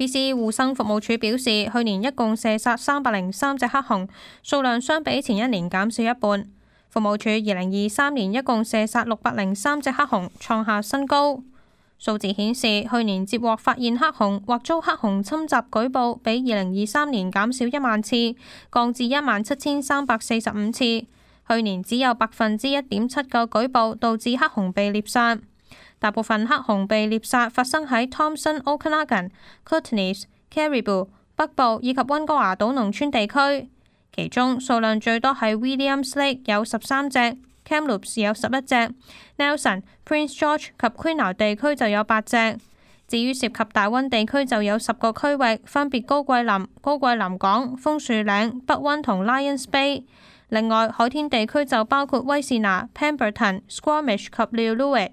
BC 護生服務處表示，去年一共射殺303隻黑熊，數量相比前一年減少一半。服務處2023年一共射殺603隻黑熊，創下新高。數字顯示，去年接獲發現黑熊或遭黑熊侵襲舉報，比2023年減少1萬次，降至17,345次。去年只有1.7%嘅舉報導致黑熊被獵殺。大部分黑熊被獵殺發生喺 Thompson、Okanagan、Kootenays、Caribou、北部以及溫哥華島農村地區，其中數量最多係 Williams Lake 有13隻。Kamloops 有11隻 ，Nelson、Prince George 及 Quinault 地區就有8隻。至於涉及大溫地區就有10個區域，分別高貴林、高貴林港、楓樹嶺、北溫同 Lions Bay。另外，海天地區就包括威士拿、Pemberton、Squamish 及 Lillooet。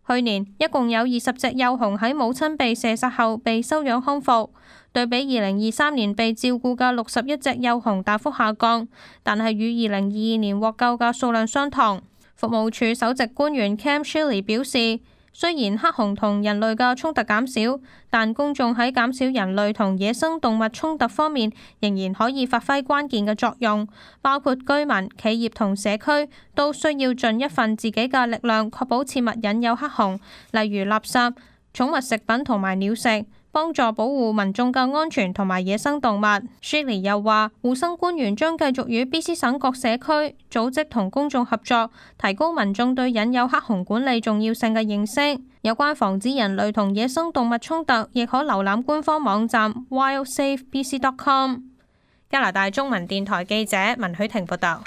去年一共有20隻幼熊喺母親被射殺後被收養康復，對比2023年被照顧嘅61隻幼熊大幅下降，但係與2022年獲救嘅數量相同。服務處首席官員 Cam Shiley 表示，雖然黑熊同人類嘅衝突減少，但公眾喺減少人類同野生動物衝突方面仍然可以發揮關鍵嘅作用，包括居民、企業同社區都需要盡一份自己嘅力量，確保切勿引誘黑熊，例如垃圾、寵物食品同埋鳥食，幫助保護民眾嘅安全同埋野生動物。Shiley 又話，護生官員將繼續與 BC 省各社區組織同公眾合作，提高民眾對引誘黑熊管理重要性嘅認識。有關防止人類同野生動物衝突，亦可瀏覽官方網站 wildsafebc.com。加拿大中文電台記者文許婷報道。